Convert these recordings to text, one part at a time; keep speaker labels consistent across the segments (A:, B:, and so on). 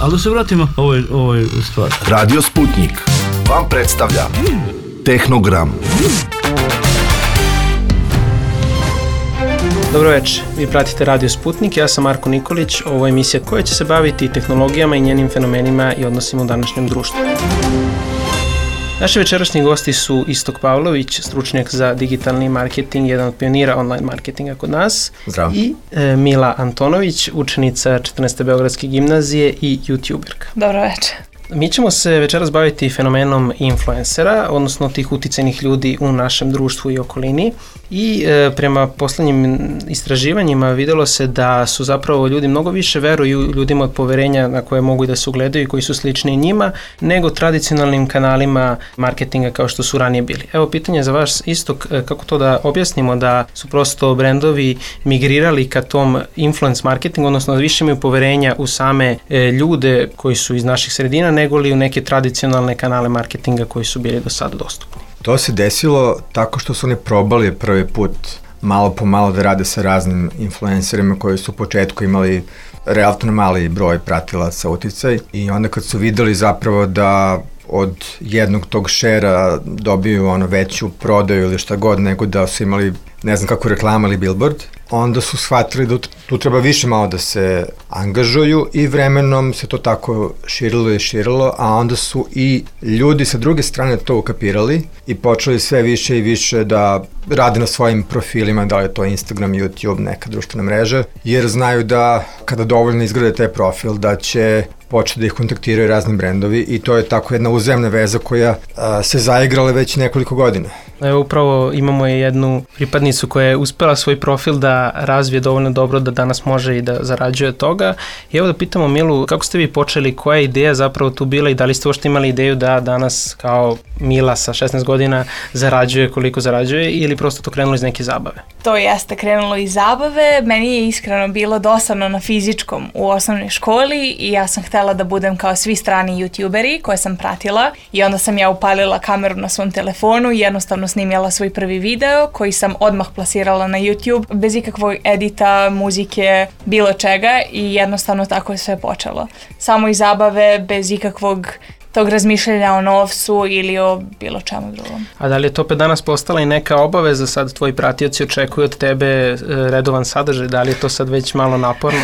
A: Ali da se vratimo ovoj stvari.
B: Radio Sputnik vam predstavlja Tehnogram.
C: Dobro večer, vi pratite Radio Sputnik, ja sam Marko Nikolić, ovo je emisija koja će se baviti tehnologijama i njenim fenomenima i odnosima u današnjem društvu. Naši večerašnji gosti su Istok Pavlović, stručnjak za digitalni marketing, jedan od pionira online marketinga kod nas.
D: Zdravo.
C: I Mila Antonović, učenica 14. Beogradske gimnazije i youtuberka.
E: Dobro večer.
C: Mi ćemo se večeras baviti fenomenom influencera, odnosno tih uticajnih ljudi u našem društvu i okolini. I prema poslednjim istraživanjima videlo se da su zapravo ljudi mnogo više veruju ljudima od poverenja na koje mogu i da se ugledaju i koji su slični njima, nego tradicionalnim kanalima marketinga kao što su ranije bili. Evo pitanje za vas, Istok, kako to da objasnimo da su prosto brendovi migrirali ka tom influence marketingu, odnosno da više imaju poverenja u same ljude koji su iz naših sredina, nego li u neke tradicionalne kanale marketinga koji su bili do sada dostupni.
D: To se desilo tako što su oni probali prvi put malo po malo da rade sa raznim influencerima koji su u početku imali relativno mali broj pratilaca, uticaj, i onda kad su videli zapravo da od jednog tog šera dobiju veću prodaju ili šta god, nego da su imali ne znam kako reklama ili billboard, onda su shvatili da tu treba više malo da se angažuju i vremenom se to tako širilo, a onda su i ljudi sa druge strane to ukapirali i počeli sve više i više da rade na svojim profilima, da li je to Instagram, YouTube, neka društvena mreža, jer znaju da kada dovoljno izgrade taj profil da će početi da ih kontaktiraju razni brendovi i to je tako jedna uzajamna veza koja se zaigrala već nekoliko godina.
C: Evo upravo imamo jednu pripadnicu koja je uspela svoj profil da razvije dovoljno dobro da danas može i da zarađuje toga. I evo da pitamo Milu, kako ste vi počeli, koja je ideja zapravo tu bila i da li ste uopšte imali ideju da danas kao Mila sa 16 godina zarađuje koliko zarađuje ili prosto to krenulo iz neke zabave?
E: To jeste krenulo iz zabave, meni je iskreno bilo dosadno na fizičkom u osnovnoj školi i ja sam htela da budem kao svi strani youtuberi koje sam pratila i onda sam ja upalila kameru na svom telefonu i jednostavno snimjela svoj prvi video koji sam odmah plasirala na YouTube bez ikakvog edita, muzike, bilo čega i jednostavno tako je sve počelo. Samo iz zabave, bez ikakvog tog razmišljanja o novcu ili o bilo čemu drugom.
C: A da li je to opet danas postala i neka obaveza, sad tvoji pratioci očekuju od tebe redovan sadržaj, da li je to sad već malo naporno?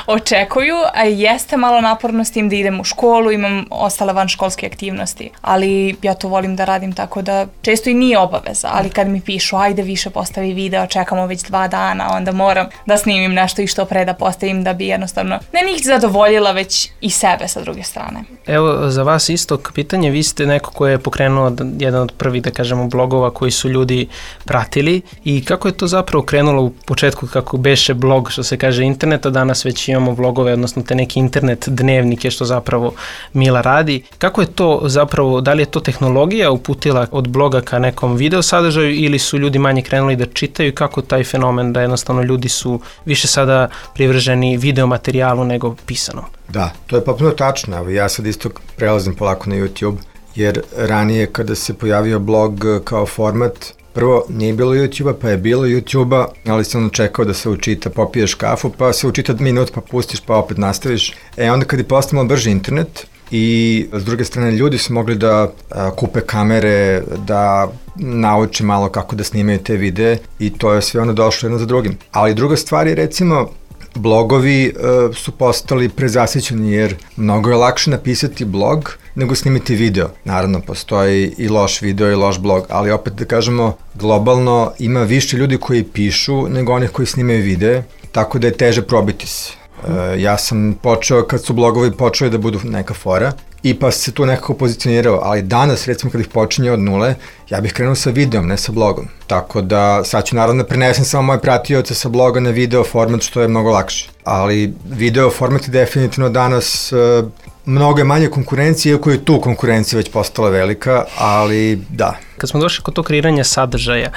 E: Očekuju, a jeste malo naporno s tim da idem u školu, imam ostale vanškolske aktivnosti, ali ja to volim da radim tako da često i nije obaveza, ali kad mi pišu ajde više postavi video, čekamo već 2 dana, onda moram da snimim nešto i što pre da postavim da bi jednostavno ne njih zadovoljila već i sebe sa druge strane.
C: Evo za vas Istok, pitanje, vi ste neko ko je pokrenuo jedan od prvih, da kažemo, blogova koji su ljudi pratili i kako je to zapravo krenulo u početku kako beše blog, što se kaže interneta, danas već imamo blogove, odnosno te neki internet dnevnike što zapravo Mila radi. Kako je to zapravo, da li je to tehnologija uputila od bloga ka nekom video sadržaju ili su ljudi manje krenuli da čitaju i kako taj fenomen da jednostavno ljudi su više sada privrženi video materijalu nego pisanom?
D: Da, to je potpuno tačno. Evo, ja sad isto prelazim polako na YouTube, jer ranije kada se pojavio blog kao format, prvo nije bilo YouTube-a, pa je bilo YouTube-a, ali sam čekao da se učita, popiješ kafu, pa se učita minut, pa pustiš, pa opet nastaviš. Onda kad je postao brži internet i s druge strane ljudi su mogli da kupe kamere, da nauče malo kako da snimaju te videe i to je sve došlo jedno za drugim. Ali druga stvar je recimo blogovi su postali prezasićeni jer mnogo je lakše napisati blog nego snimiti video. Naravno, postoji i loš video i loš blog, ali opet da kažemo, globalno ima više ljudi koji pišu nego onih koji snimaju videe, tako da je teže probiti se. Ja sam počeo kad su blogovi počeli da budu neka fora i pa se tu nekako pozicionirao, ali danas recimo kad ih počinje od nule, ja bih krenuo sa videom, ne sa blogom. Tako da sad ću naravno da prenesem samo moje pratioce sa bloga na video format što je mnogo lakše. Ali video format je definitivno danas mnogo je manje konkurencije, iako je tu konkurencija već postala velika, ali da.
C: Kad smo došli kod tog kreiranja sadržaja,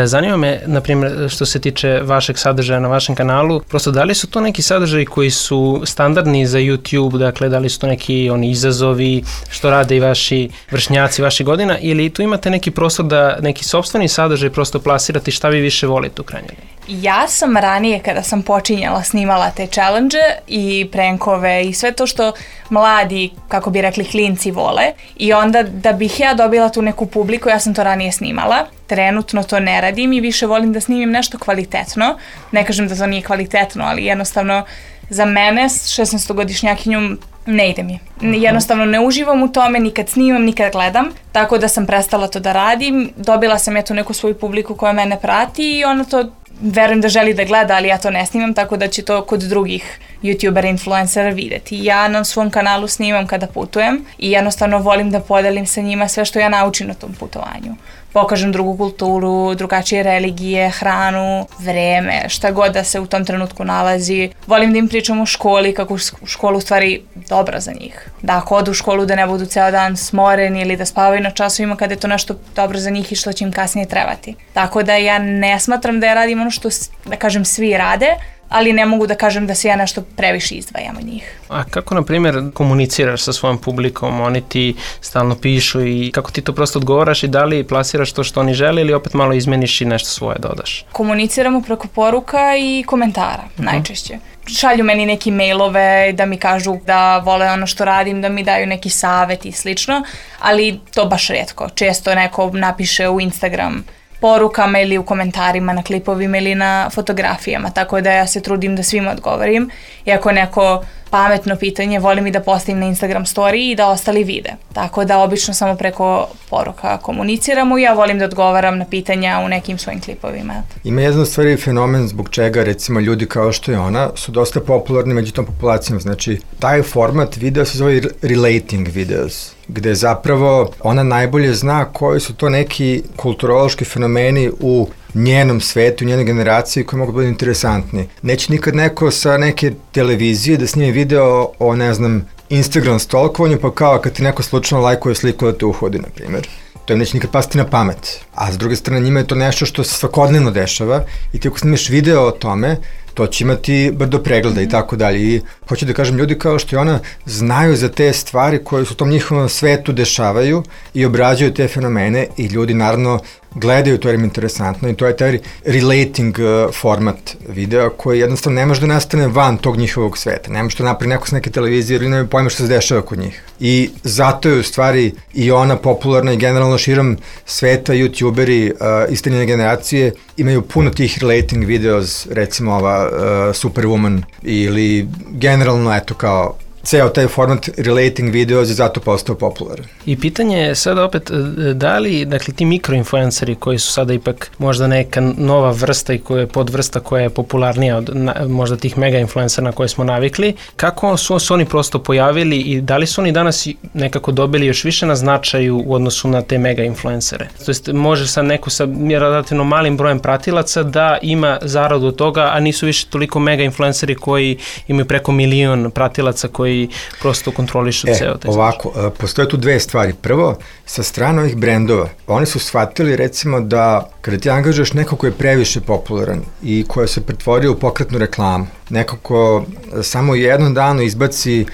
C: zanima me, na primjer, što se tiče vašeg sadržaja na vašem kanalu, prosto da li su to neki sadržaji koji su standardni za YouTube, dakle da li su to neki izazovi što rade i vaši vršnjaci vaših godina, ili tu imate neki prostor da neki sopstveni sadržaj prosto plasirate šta vi više volite u krajnjoj liniji?
E: Ja sam ranije kada sam počinjala snimala te challenge i prankove i sve to što mladi, kako bi rekli, klinci vole i onda da bih ja dobila tu neku publiku, ja sam to ranije snimala. Trenutno to ne radim i više volim da snimim nešto kvalitetno. Ne kažem da to nije kvalitetno, ali jednostavno za mene, 16-godišnjakinju, ne ide mi. Jednostavno ne uživam u tome, nikad snimam, nikad gledam, tako da sam prestala to da radim. Dobila sam tu neku svoju publiku koja mene prati i ona to, verujem da želi da gleda, ali ja to ne snimam, tako da će to kod drugih youtubera, influencera videti. Ja na svom kanalu snimam kada putujem i jednostavno volim da podelim sa njima sve što ja naučim na tom putovanju. Pokažem drugu kulturu, drugačije religije, hranu, vreme, šta god da se u tom trenutku nalazi. Volim da im pričam o školi, kako je škola u stvari dobra za njih. Da ako odu u školu da ne budu ceo dan smoreni ili da spavaju na časovima kada je to nešto dobro za njih i što će im kasnije trebati. Tako da ja ne smatram da ja radim ono što, da kažem, svi rade, ali ne mogu da kažem da se ja nešto previše izdvajam od njih.
C: A kako, na primjer, komuniciraš sa svojom publikom? Oni ti stalno pišu i kako ti to prosto odgovaraš i da li plasiraš to što oni žele ili opet malo izmeniš i nešto svoje dodaš?
E: Komuniciramo preko poruka i komentara, najčešće. Šalju meni neki mailove da mi kažu da vole ono što radim, da mi daju neki savet i slično, ali to baš rijetko. Često neko napiše u Instagram porukama ili u komentarima na klipovima ili na fotografijama, tako da ja se trudim da svima odgovorim. I ako neko pametno pitanje, volim i da postavim na Instagram story i da ostali vide. Tako da obično samo preko poruka komuniciramo i ja volim da odgovaram na pitanja u nekim svojim klipovima.
D: Ima jedan stvari fenomen zbog čega recimo ljudi kao što je ona su dosta popularni među tom populacijom. Znači, taj format videa se zove relating videos, gde zapravo ona najbolje zna koji su to neki kulturološki fenomeni u njenom svetu, u njenoj generaciji koji mogu biti interesantni. Neće nikad neko sa neke televizije da snime video o, ne znam, Instagram stalkovanju, pa kao kad ti neko slučajno lajkuje sliku da te uhodi, na primjer. To im neće nikad pasti na pamet. A s druge strane, njima je to nešto što se svakodnevno dešava i ti ako snimiš video o tome, to će imati brdo pregleda i tako dalje. I hoću da kažem, ljudi kao što je ona znaju za te stvari koje su u tom njihovom svetu dešavaju i obrađuju te fenomene i ljudi naravno gledaju, to je im interesantno i to je taj relating format videa koji jednostavno ne može da nastane van tog njihovog sveta. Ne može to napravi neko s neke televizije ili nema pojma što se dešava kod njih. I zato je u stvari i ona popularna i generalno širom sveta youtuberi iste njene generacije imaju puno tih relating videos, recimo ova Superwoman ili generalno eto kao ceo taj format relating videos je zato postao popularan.
C: I pitanje je sada opet, da li, dakle, ti mikroinfluenceri koji su sada ipak možda neka nova vrsta i koja je podvrsta koja je popularnija od možda tih mega influencera na koje smo navikli, kako su oni prosto pojavili i da li su oni danas nekako dobili još više na značaju u odnosu na te mega influencere? To jest, može sad neko sa relativno malim brojem pratilaca da ima zaradu od toga, a nisu više toliko mega influenceri koji imaju preko 1 milion pratilaca koji prosto kontrolišu ceo taj
D: ovako, postoje tu dve stvari. Prvo, sa strane ovih brendova, oni su shvatili recimo da kada ti angažuješ neko ko je previše popularan i koja se pretvorio u pokretnu reklamu, neko ko samo jednom danu izbaci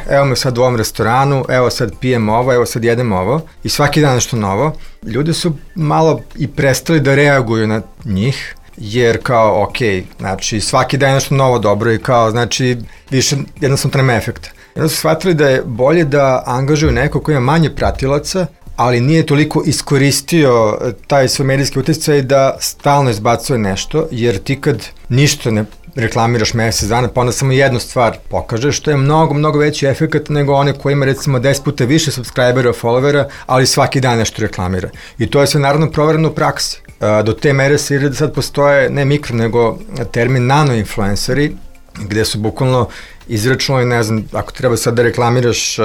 D: evo me sad u ovom restoranu, evo sad pijem ovo, evo sad jedem ovo i svaki dan nešto novo, ljudi su malo i prestali da reaguju na njih, jer kao, ok, znači svaki dan je nešto novo dobro i kao, znači više jednostavno to nema efekta. Jedno su shvatili da je bolje da angažuju neko ko ima manje pratilaca, ali nije toliko iskoristio taj svoj medijski utjecaj da stalno izbacuje nešto, jer ti kad ništa ne reklamiraš mesec dana, pa onda samo jednu stvar pokažeš, što je mnogo, mnogo veći efekt nego one koji ima recimo 10 puta više subscribera, followera, ali svaki dan nešto reklamira. I to je sve naravno provereno u praksi. Do te mere se da sad postoje ne mikro, nego termin nano-influenceri, gde su bukvalno izračunali, ne znam, ako treba sad da reklamiraš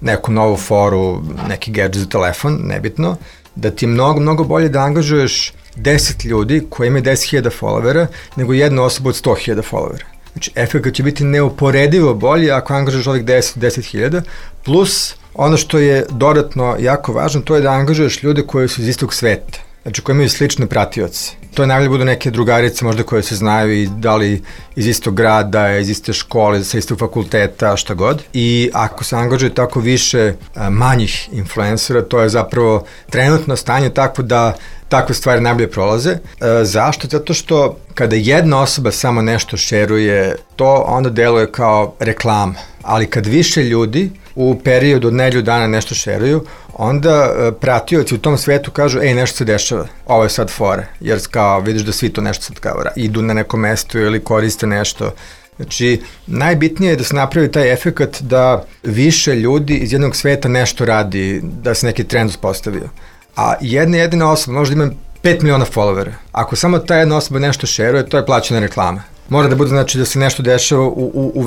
D: neku novu foru, neki gadget za telefon, nebitno, da ti je mnogo, mnogo bolje da angažuješ 10 ljudi koji imaju 10.000 followera, nego jednu osobu od 100.000 followera. Znači, efekt će biti neuporedivo bolji ako angažuješ ovih 10.000, plus ono što je dodatno jako važno, to je da angažuješ ljude koji su iz istog sveta. znači koji imaju slične pratioce. To je najbolje budu neke drugarice možda koje se znaju i da li iz istog grada, iz iste škole, sa istog fakulteta, šta god. I ako se angažuje tako više manjih influencera, to je zapravo trenutno stanje tako da takve stvari najbolje prolaze. Zašto? Zato što kada jedna osoba samo nešto šeruje, to onda deluje kao reklama. Ali kad više ljudi u periodu od nedelju dana nešto šeruju, onda pratioci u tom svetu kažu, nešto se dešava, ovo je sad fora, jer kao vidiš da svi to nešto sad kao idu na neko mesto ili koriste nešto. Znači, najbitnije je da se napravi taj efekat da više ljudi iz jednog sveta nešto radi, da se neki trend uspostavio. A jedina osoba možda ima 5 miliona followera. Ako samo ta jedna osoba nešto šeruje, to je plaćena reklama. Mora da bude znači da se nešto dešava u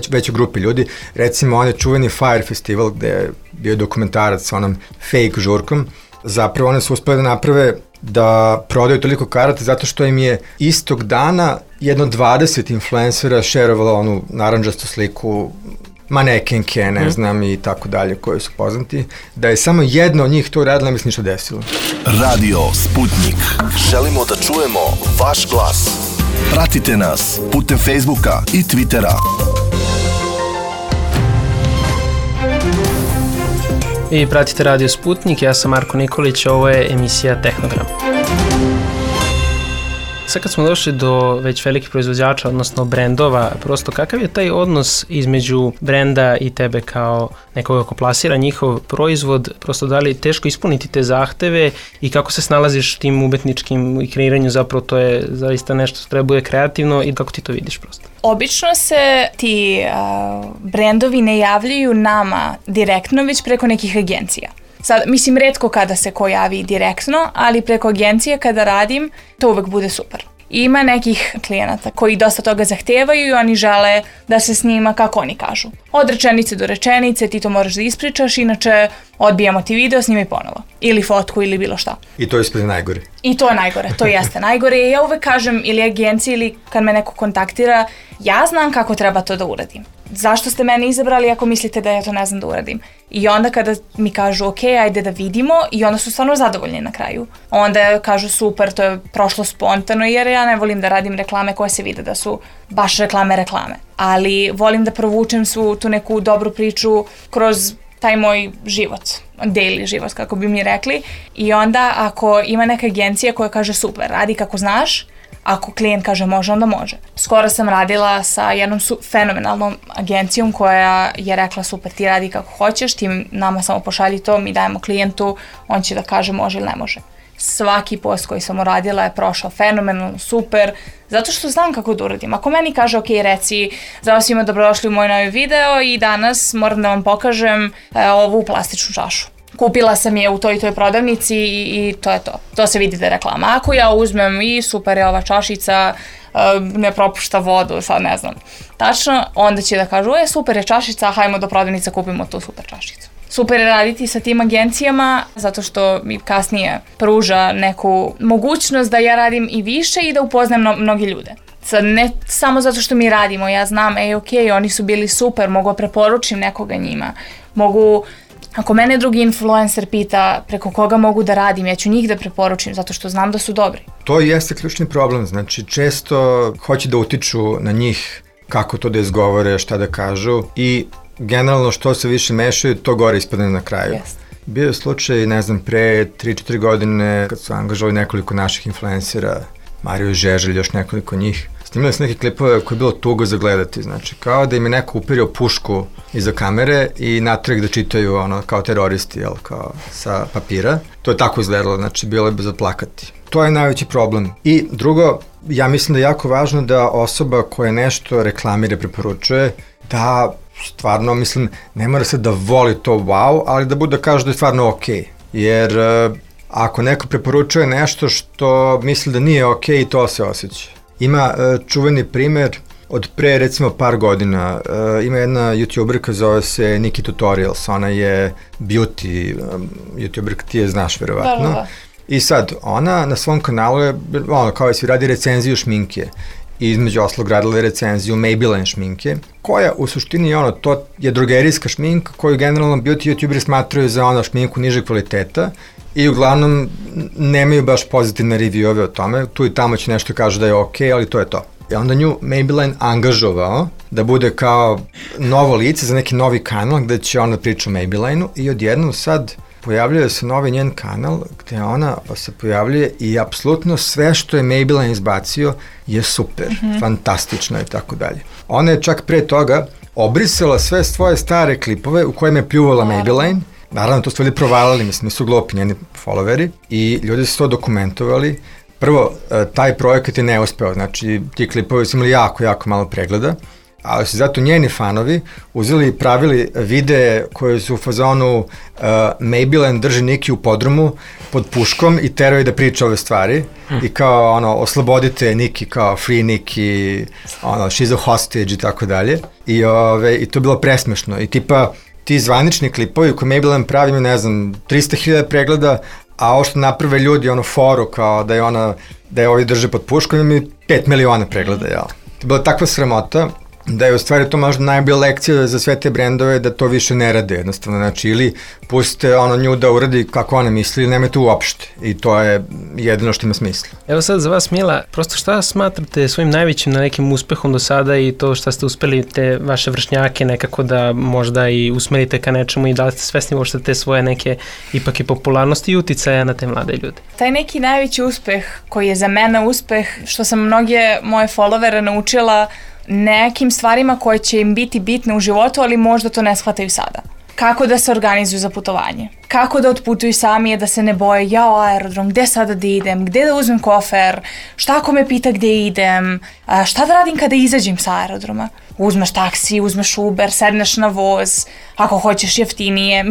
D: većoj grupi ljudi. Recimo, on je čuveni Fire Festival gde je bio dokumentarac sa onom fake žurkom. Zapravo one su uspeli da naprave da prodaju toliko karata zato što im je istog dana jedno 20 influencera šerovalo onu naranđastu sliku manekenke, ne znam, i tako dalje, koji su poznati. Da je samo jedno od njih to uradila, mi se ništa desilo.
B: Radio Sputnik. Želimo da čujemo vaš glas. Pratite nas putem Facebooka i Twittera.
C: Vi pratite Radio Sputnik, ja sam Marko Nikolić, ovo je emisija Tehnogram. Sad kad smo došli do već velikih proizvođača, odnosno brendova, prosto kakav je taj odnos između brenda i tebe kao nekoga ko plasira njihov proizvod, prosto da li teško ispuniti te zahteve i kako se snalaziš tim umetničkim i kreiranju, zapravo to je zaista nešto što treba bude kreativno i kako ti to vidiš prosto?
E: Obično se ti brendovi ne javljaju nama direktno, već preko nekih agencija. Sad, mislim, retko kada se ko javi direktno, ali preko agencije kada radim, to uvek bude super. Ima nekih klijenata koji dosta toga zahtevaju i oni žele da se snima kako oni kažu. Od rečenice do rečenice ti to moraš da ispričaš, inače odbijamo ti video, snimaj ponovo. Ili fotku ili bilo šta.
D: I to je ispred najgore.
E: I to je najgore, to jeste najgore. Ja uvek kažem ili agenciji ili kad me neko kontaktira, ja znam kako treba to da uradim. Zašto ste mene izabrali ako mislite da ja to ne znam da uradim? I onda kada mi kažu ok, ajde da vidimo, i onda su stvarno zadovoljni na kraju. Onda kažu super, to je prošlo spontano, jer ja ne volim da radim reklame koje se vide da su baš reklame. Ali volim da provučem svu tu neku dobru priču kroz taj moj život, daily život, kako bi mi rekli. I onda ako ima neka agencija koja kaže super, radi kako znaš, ako klijent kaže može, onda može. Skoro sam radila sa jednom fenomenalnom agencijom koja je rekla super, ti radi kako hoćeš, ti nama samo pošalji to, mi dajemo klijentu, on će da kaže može ili ne može. Svaki post koji sam uradila je prošao fenomenalno, super, zato što znam kako da uradim. Ako meni kaže ok, reci, zdravo svima, dobrodošli u moj novi video i danas moram da vam pokažem ovu plastičnu čašu. Kupila sam je u toj i toj prodavnici i to je to. To se vidi da je reklama. Ako ja uzmem i super je ova čašica, ne propušta vodu, sad ne znam. Tačno, onda će da kažu, super je čašica, hajmo do prodavnice, kupimo tu super čašicu. Super je raditi sa tim agencijama, zato što mi kasnije pruža neku mogućnost da ja radim i više i da upoznam mnogi ljude. Sad, ne samo zato što mi radimo, ja znam, ok, oni su bili super, mogu preporučim nekoga njima, mogu. Ako mene drugi influencer pita preko koga mogu da radim, ja ću njih da preporučim zato što znam da su dobri.
D: To jeste ključni problem, znači često hoće da utiču na njih kako to da izgovore, šta da kažu i generalno što se više mešaju, to gore ispadne na kraju.
E: Yes.
D: Bio je slučaj, ne znam, pre 3-4 godine kad su angažovali nekoliko naših influencera, Mario Žeželj, još nekoliko njih. Snimali su neke klipove koje je bilo tugo za gledati, znači kao da im je neko uperio pušku iza kamere i natrag da čitaju ono kao teroristi, jel, kao sa papira. To je tako izgledalo, znači bilo je za plakati. To je najveći problem. I drugo, ja mislim da je jako važno da osoba koja nešto reklamira, preporučuje, da stvarno, mislim, ne mora se da voli to wow, ali da bude da kaže da je stvarno okej. Jer ako neko preporučuje nešto što misli da nije okej, to se osjeća. Ima čuveni primer od pre recimo par godina, ima jedna youtuberka, zove se Nikki Tutorials, ona je beauty youtuberka, ti je znaš verovatno.
E: Da.
D: I sad, ona na svom kanalu je, ono, kao svi radi recenziju šminke. i između oslog radila recenziju Maybelline šminke, koja u suštini to je drogerijska šminka koju generalno beauty youtuberi smatraju za šminku nižeg kvaliteta i uglavnom nemaju baš pozitivne review-ove o tome, tu i tamo će nešto kažu da je okej, ali to je to. I onda nju Maybelline angažovao da bude kao novo lice za neki novi kanal gde će ona priča o Maybelline-u i odjednom sad pojavljuje se novi njen kanal gde ona se pojavljuje i apsolutno sve što je Maybelline izbacio je super, fantastično i tako dalje. Ona je čak pre toga obrisala sve svoje stare klipove u kojima je pljuvala Maybelline. Naravno, to su ljudi provalili, mislim, nisu glupi njeni followeri i ljudi su to dokumentovali. Prvo, taj projekat je neuspeo, znači ti klipovi su imali jako malo pregleda, ali su zato njeni fanovi uzeli i pravili videe koje su u fazonu Maybelline drži Niki u podrumu pod puškom i teraju da priča ove stvari i kao oslobodite Niki, kao free Niki, she's a hostage i tako dalje. I to je bilo presmešno i tipa ti zvanični klipovi koje Maybelline pravi imaju, ne znam, 300.000 pregleda, a ovo što naprave ljudi, foru kao da je ovi drže pod puškom, imaju 5 miliona pregleda, jel? To je bila takva sramota da je u stvari to možda najbolja lekcija za sve te brendove da to više ne rade jednostavno, znači ili pustite nju da uradi kako ona misli ili nemojte uopšte i to je jedino što ima smisla.
C: Evo sad za vas Mila, prosto šta smatrate svojim najvećim na nekim uspehom do sada i to šta ste uspeli te vaše vršnjake nekako da možda i usmerite ka nečemu i da li ste svesni uopšte te svoje neke ipak i popularnosti i uticaja na te mlade ljude?
E: Taj neki najveći uspeh koji je za mene uspeh što sam mnoge moje followere naučila nekim stvarima koje će im biti bitne u životu, ali možda to ne shvataju sada. Kako da se organizuju za putovanje, kako da otputuju sami, da se ne boje, aerodrom, gde sada da idem, gde da uzmem kofer, šta ako me pita gde idem, šta da radim kada izađem sa aerodroma. Uzmeš taksi, uzmeš Uber, sedneš na voz, ako hoćeš jeftinije,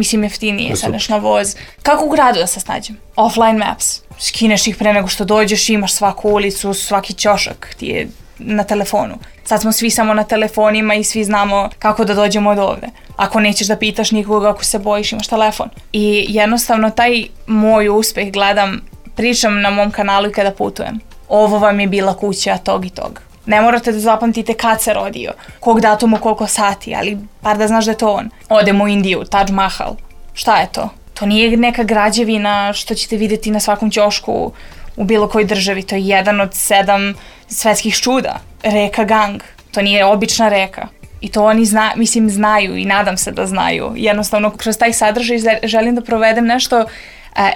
E: sedneš na voz. Kako u gradu da se snađem? Offline maps, skineš ih pre nego što dođeš, imaš svaku ulicu, svaki ćošak ti je na telefonu. Sad smo svi samo na telefonima i svi znamo kako da dođemo od ovde. Ako nećeš da pitaš nikoga, ako se bojiš, imaš telefon. I jednostavno taj moj uspeh gledam, pričam na mom kanalu i kada putujem. Ovo vam je bila kuća tog i tog. Ne morate da zapamtite kad se rodio, kog datuma, koliko sati, ali bar da znaš da je to on. Odemo u Indiju, Taj Mahal. Šta je to? To nije neka građevina što ćete vidjeti na svakom ćošku u bilo kojoj državi. To je jedan od 7 svetskih čuda. Reka Gang. To nije obična reka. I to oni znaju i nadam se da znaju. Jednostavno, kroz taj sadržaj želim da provedem nešto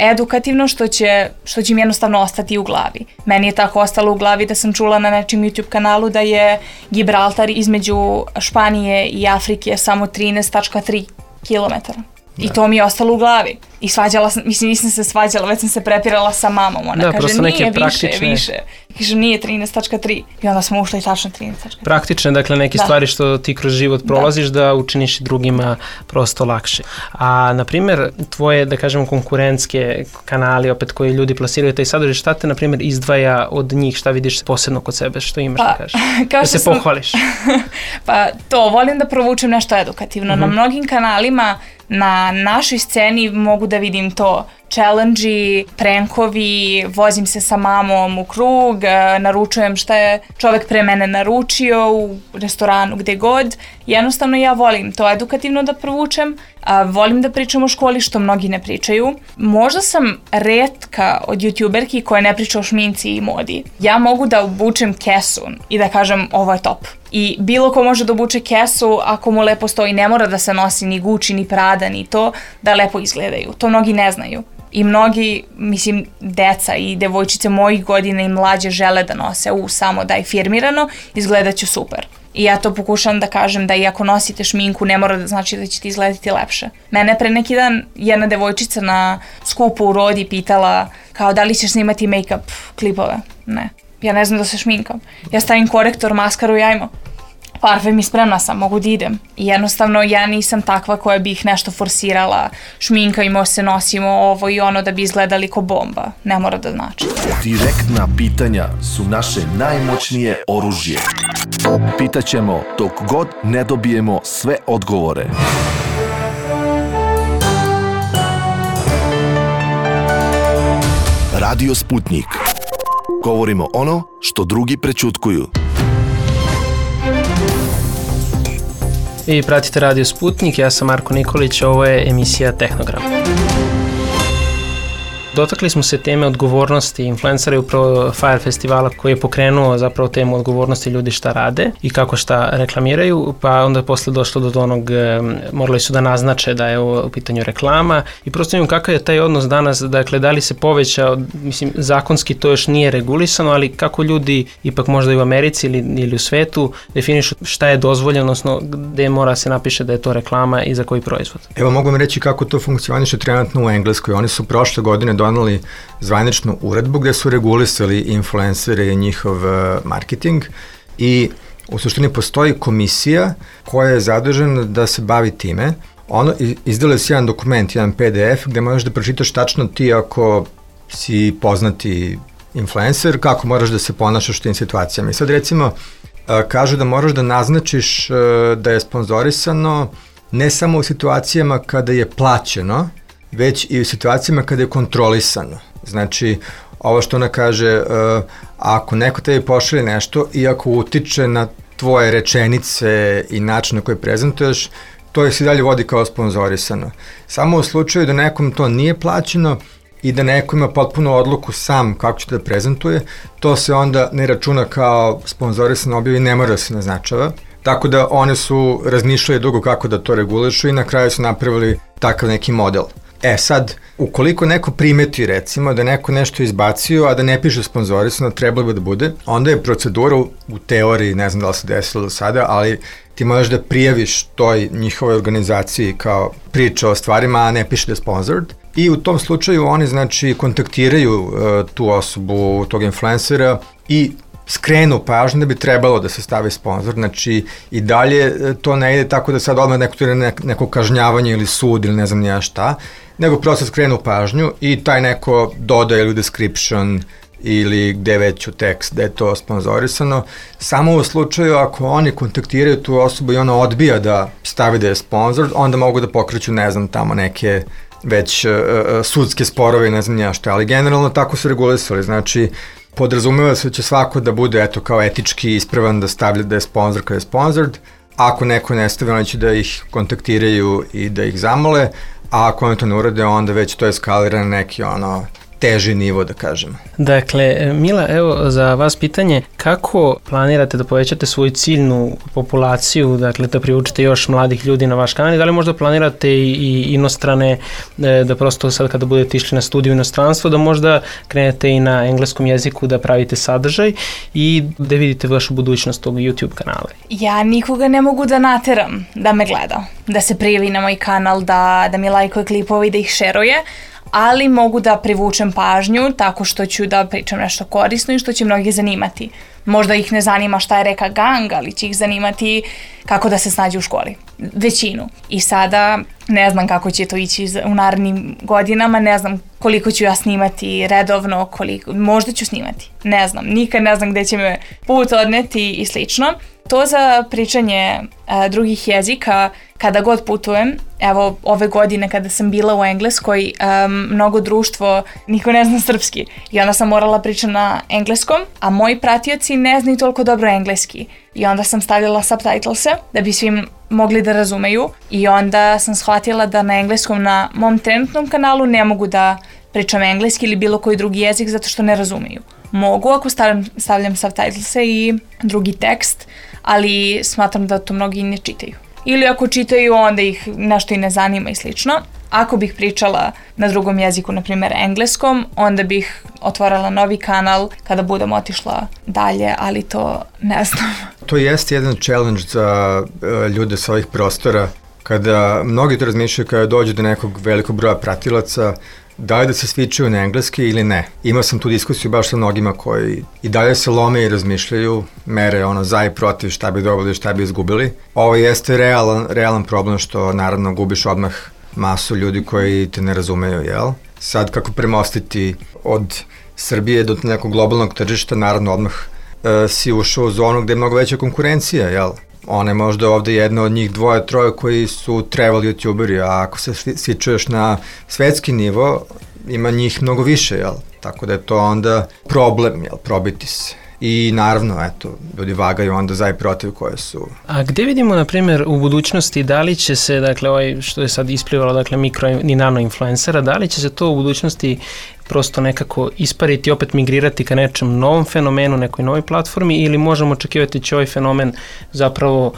E: edukativno što će im jednostavno ostati u glavi. Meni je tako ostalo u glavi da sam čula na nečim YouTube kanalu da je Gibraltar između Španije i Afrike samo 13,3 kilometara. I to mi je ostalo u glavi. I svađala sam, nisam se svađala, već sam se prepirala sa mamom. Ona kaže, nije više. Kaže, nije 13,3. I onda smo ušli tačno 13,3.
C: Praktične, dakle, neke stvari što ti kroz život prolaziš da učiniš drugima prosto lakše. A, na primjer, tvoje, da kažemo, konkurentske kanali, opet koji ljudi plasiraju taj sadržaj, šta te, na primjer, izdvaja od njih, šta vidiš posebno kod sebe, što imaš da kažeš? Da se pohvališ.
E: Pa to, volim da provučem nešto edukativno. Na mnogim kanalima na našoj sceni mogu da vidim to challenge-i, prankovi, vozim se sa mamom u krug, naručujem šta je čovek pre mene naručio u restoranu, gde god. Jednostavno ja volim to edukativno da provučem, volim da pričam o školi što mnogi ne pričaju. Možda sam retka od youtuberki koja ne priča o šminci i modi. Ja mogu da obučem kesu i da kažem ovo je top. I bilo ko može da obuče kesu ako mu lepo stoji, ne mora da se nosi ni Gucci, ni Prada, ni to, da lepo izgledaju. To mnogi ne znaju. I mnogi, mislim, deca i devojčice mojih godina i mlađe žele da nose samo da je firmirano, izgledat ću super. I ja to pokušam da kažem da i ako nosite šminku ne mora da znači da ćete izgledati lepše. Mene pre neki dan jedna devojčica na skupu u Rodi pitala kao da li ćeš snimati make-up klipove. Ne. Ja ne znam da se šminkam. Ja stavim korektor, maskaru i ajmo. Parfem i spremna sam, mogu da idem. I jednostavno ja nisam takva koja bi ih nešto forsirala, šminkajmo se, nosimo ovo i ono da bi izgledali ko bomba. Ne mora da znači.
B: Direktna pitanja su naše najmoćnije oružje. Pitaćemo dok god ne dobijemo sve odgovore. Radio Sputnik. Govorimo ono što drugi prećutkuju.
C: Vi pratite Radio Sputnik, ja sam Marko Nikolić, ovo je emisija Tehnogram. Dotakli smo se teme odgovornosti influencera i upravo Fire festivala koji je pokrenuo zapravo temu odgovornosti ljudi šta rade i kako šta reklamiraju, pa onda posle došlo do onog, morali su da naznače da je ovo u pitanju reklama i prosto imam kakav je taj odnos danas, dakle da li se povećao, mislim zakonski to još nije regulisano, ali kako ljudi ipak možda i u Americi ili u svetu definišu šta je dozvoljeno, odnosno gde mora se napiše da je to reklama i za koji proizvod.
D: Evo mogu vam reći kako to funkcioniše trenutno u Engleskoj. Oni su prošle godine doneli zvaničnu uredbu gde su regulisali influencere i njihov marketing i u suštini postoji komisija koja je zadužena da se bavi time. Ono izdala se jedan dokument, jedan PDF gde možeš da pročitaš tačno ti ako si poznati influencer, kako moraš da se ponašaš u tim situacijama. I sad recimo kažu da moraš da naznačiš da je sponzorisano ne samo u situacijama kada je plaćeno, već i u situacijama kada je kontrolisano. Znači, ovo što ona kaže, ako neko tebi pošalje nešto i ako utiče na tvoje rečenice i način na koji prezentuješ, to se dalje vodi kao sponzorisano. Samo u slučaju da nekom to nije plaćeno i da neko ima potpuno odluku sam kako će da prezentuje, to se onda ne računa kao sponzorisano objav i ne mora da se naznačava. Tako da one su razmišljali dugo kako da to regulišu i na kraju su napravili takav neki model. Sad, ukoliko neko primeti recimo da neko nešto izbacio, a da ne piše sponzorisano, trebalo bi da bude, onda je procedura u teoriji, ne znam da li se desilo do sada, ali ti možeš da prijaviš toj njihovoj organizaciji kao priča o stvarima, a ne piše da je sponsored. I u tom slučaju oni znači kontaktiraju tu osobu, tog influencera i skrenu pažnju da bi trebalo da se stavi sponsor, znači i dalje to ne ide tako da sad odmah neko kažnjavanje ili sud ili ne znam nija šta, nego prosto skrenu pažnju i taj neko dodaje ili description ili gde već u tekst da je to sponzorisano, samo u slučaju ako oni kontaktiraju tu osobu i ona odbija da stavi da je sponsor, onda mogu da pokreću ne znam tamo neke već sudske sporove i ne znam nija šta, ali generalno tako su regulisali, znači podrazumeva se da će svako da bude eto kao etički ispravan da stavlja da je sponsor kada je sponsored, ako neko ne stavi oni će da ih kontaktiraju i da ih zamole, a ako oni to ne urade onda već to eskalira na neki teži nivo da kažemo.
C: Dakle, Mila, evo za vas pitanje, kako planirate da povećate svoju ciljnu populaciju, dakle da privučete još mladih ljudi na vaš kanal i da li možda planirate i inostrane, da prosto sad kada budete išli na studiju inostranstvo, da možda krenete i na engleskom jeziku da pravite sadržaj i da vidite vašu budućnost tog YouTube kanala?
E: Ja nikoga ne mogu da nateram da me gleda, da se prijavi na moj kanal, da mi lajkuje klipove i da ih šeruje, ali mogu da privučem pažnju tako što ću da pričam nešto korisno i što će mnogi zanimati. Možda ih ne zanima šta je reka gang, ali će ih zanimati kako da se snađe u školi. Većinu. I sada ne znam kako će to ići u narednim godinama, ne znam koliko ću ja snimati redovno, možda ću snimati. Ne znam, nikad ne znam gde će me put odneti i slično. To za pričanje drugih jezika, kada god putujem, evo ove godine kada sam bila u Engleskoj, mnogo društvo, niko ne zna srpski i onda sam morala pričati na engleskom, a moji pratioci ne znaju toliko dobro engleski i onda sam stavljala subtitlese da bi svi mogli da razumeju i onda sam shvatila da na engleskom na mom trenutnom kanalu ne mogu da pričam engleski ili bilo koji drugi jezik zato što ne razumeju. Mogu ako stavljam subtitlese i drugi tekst, ali smatram da to mnogi ne čitaju. Ili ako čitaju, onda ih nešto i ne zanima i slično. Ako bih pričala na drugom jeziku, na primjer engleskom, onda bih otvorila novi kanal kada budem otišla dalje, ali to ne znam.
D: To jeste jedan challenge za ljude sa ovih prostora, kada mnogi to razmišljaju kada dođu do nekog velikog broja pratilaca, da li da se switchuju na engleski ili ne. Imao sam tu diskusiju baš sa mnogima koji i dalje se lome i razmišljaju, mere za i protiv šta bi dobili, šta bi izgubili. Ovo jeste realan problem što naravno gubiš odmah masu ljudi koji te ne razumeju, jel? Sad kako premostiti od Srbije do nekog globalnog tržišta, naravno odmah si ušao u zonu gde je mnogo veća konkurencija, jel? Ona je možda ovde jedna od njih dvoje, troje koji su travel youtuberi, a ako se svi čuješ na svetski nivo, ima njih mnogo više, jel? Tako da je to onda problem, jel? Probiti se. i naravno, eto, ljudi vagaju onda za i protiv koje su.
C: A gde vidimo, na primjer, u budućnosti, da li će se, dakle, što je sad isplivalo, dakle, mikro i nano influencera, da li će se to u budućnosti prosto nekako ispariti i opet migrirati ka nečem novom fenomenu, nekoj novoj platformi, ili možemo očekivati će ovaj fenomen zapravo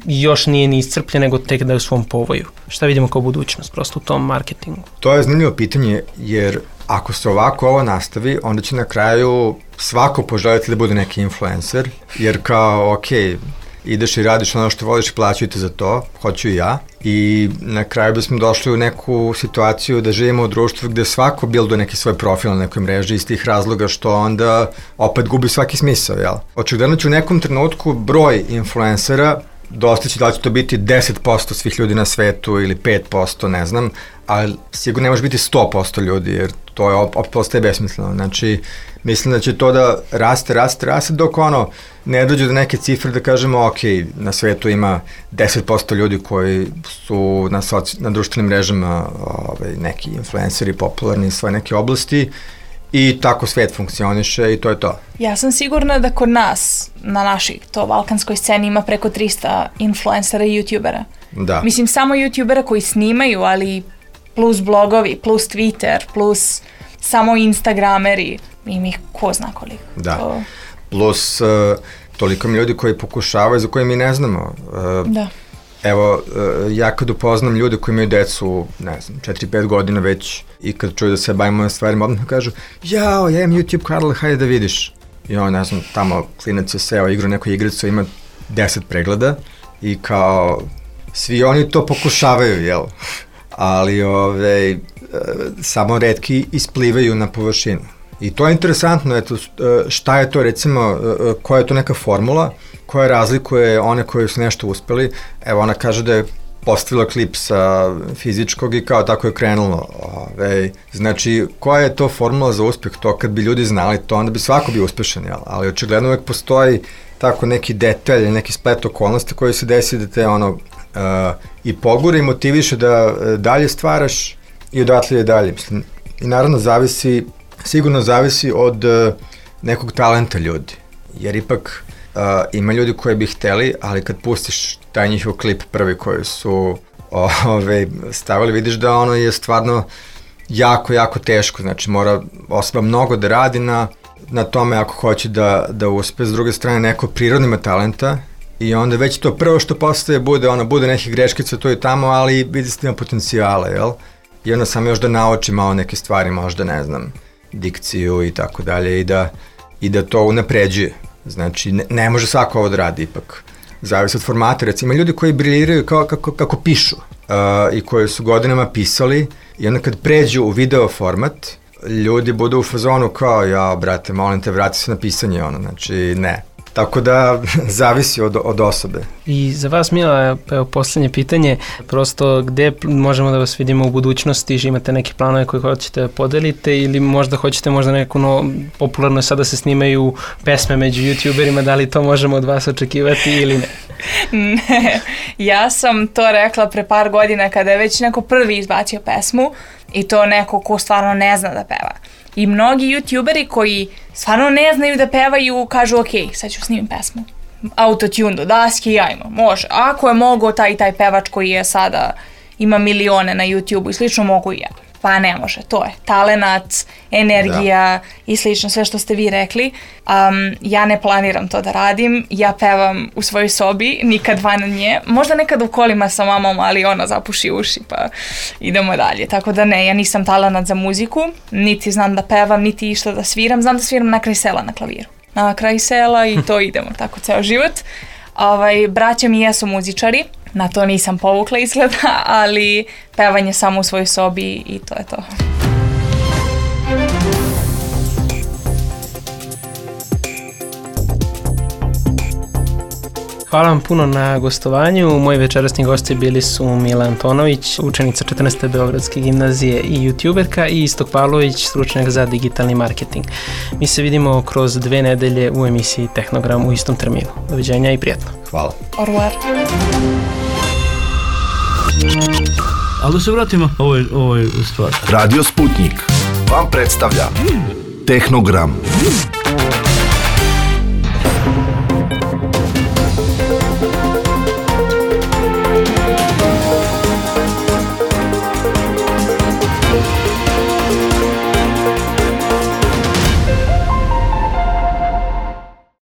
C: još nije ni iscrpljen, nego tek da je u svom povoju? Šta vidimo kao budućnost prosto u tom marketingu?
D: To je zanimljivo pitanje, jer ako se ovako ovo nastavi, onda će na kraju svako poželjeti da bude neki influencer, jer kao, ok, ideš i radiš ono što voliš i plaćaju te za to, hoću i ja, i na kraju bismo došli u neku situaciju da živimo u društvu gde svako bilduje neki svoj profil na nekoj mreži iz tih razloga što onda opet gubi svaki smisao, jel? Očigledno će u nekom trenutku broj influencera dostići, da li će to biti 10% svih ljudi na svetu ili 5%, ne znam, ali sigurno ne može biti 100% ljudi, jer to je opet postaje besmisleno. Znači, mislim da će to da raste dok ne dođe do neke cifre da kažemo, ok, na svetu ima 10% ljudi koji su na društvenim mrežama neki influenceri popularni iz svoje neke oblasti, i tako svet funkcioniše i to je to.
E: Ja sam sigurna da kod nas, na našoj to balkanskoj sceni, ima preko 300 influencera i youtubera.
D: Da.
E: Mislim, samo youtubera koji snimaju, ali plus blogovi, plus Twitter, plus samo instagrameri, ima ih ko zna koliko.
D: Da, plus toliko mi ljudi koji pokušavaju, za koje mi ne znamo.
E: Da.
D: Evo, ja kad upoznam ljude koji imaju decu, ne znam, 4-5 godina već, i kad čuju da se bavimo na stvarima, odmah kažu, ja imam YouTube kanal, hajde da vidiš. I ne znam, tamo klinac je seo, igra neku igricu, ima 10 pregleda i kao, svi oni to pokušavaju, jel? Ali samo retki isplivaju na površinu. I to je interesantno, eto, šta je to, recimo, koja je to neka formula koja razlikuje one koji su nešto uspeli. Evo, ona kaže da je postavila klip sa fizičkog i kao tako je krenulo. Znači, koja je to formula za uspeh? To kad bi ljudi znali to, onda bi svako bio uspešan, jel? Ali očigledno uvek postoji tako neki detalj, neki splet okolnosti koji se desi da te i pogura i motiviše da dalje stvaraš i odatle je dalje. Mislim, i naravno sigurno zavisi od nekog talenta ljudi, jer ipak ima ljudi koji bi hteli, ali kad pustiš taj njihov klip prvi koji su stavili, vidiš da ono je stvarno jako, jako teško, znači mora osoba mnogo da radi na tome ako hoće da uspe. S druge strane, neko prirodno ima talenta i onda već to prvo što postaje bude neke greškice tu i tamo, ali vidi se da ima potencijale, jel? I onda sam još da nauči malo neke stvari, možda ne znam, dikciju i tako dalje, i da to unapređuje. Znači, ne može svako ovo da radi ipak. Zavisi od formata. Recimo, ima ljudi koji briljiraju kako pišu i koji su godinama pisali, i onda kad pređu u video format, ljudi budu u fazonu kao, ja, brate, molim te, vrati se na pisanje, znači, ne. Tako da, zavisi od osobe.
C: I za vas, Mila, evo poslednje pitanje, prosto gde možemo da vas vidimo u budućnosti, imate neke planove koje hoćete da podelite, ili možda hoćete neko popularno je sad da se snimaju pesme među youtuberima, da li to možemo od vas očekivati ili ne?
E: Ne, ja sam to rekla pre par godina kada je već neko prvi izbacio pesmu, i to neko ko stvarno ne zna da peva. I mnogi youtuberi koji stvarno ne znaju da pevaju kažu, ok, sad ću snimim pesmu. Autotune do daske, ajmo, može. Ako je mogao taj pevač koji je sada, ima milione na YouTube-u i slično, mogu i ja. Pa ne može, to je talenat, energija i slično, sve što ste vi rekli. Ja ne planiram to da radim, ja pevam u svojoj sobi, nikad van nje, možda nekad u kolima sa mamom, ali ona zapuši uši pa idemo dalje. Tako da ne, ja nisam talenat za muziku, niti znam da pevam, niti išta da sviram, znam da sviram na kraj sela na klaviru. Na kraj sela i to idemo, tako ceo život. Braća mi jesu muzičari, na to nisam povukla izgleda, ali pevanje samo u svojoj sobi i to je to.
C: Hvala vam puno na gostovanju. Moji večerasni gosti bili su Mila Antonović, učenica 14. Beogradske gimnazije i youtuberka, i Istok Pavlović, stručnjak za digitalni marketing. Mi se vidimo kroz 2 nedelje u emisiji Tehnogram u istom terminu. Doviđenja i prijatno.
D: Hvala.
E: Au revoir.
A: Ali da se vratimo ovoj stvari.
B: Radio Sputnik vam predstavlja Tehnogram.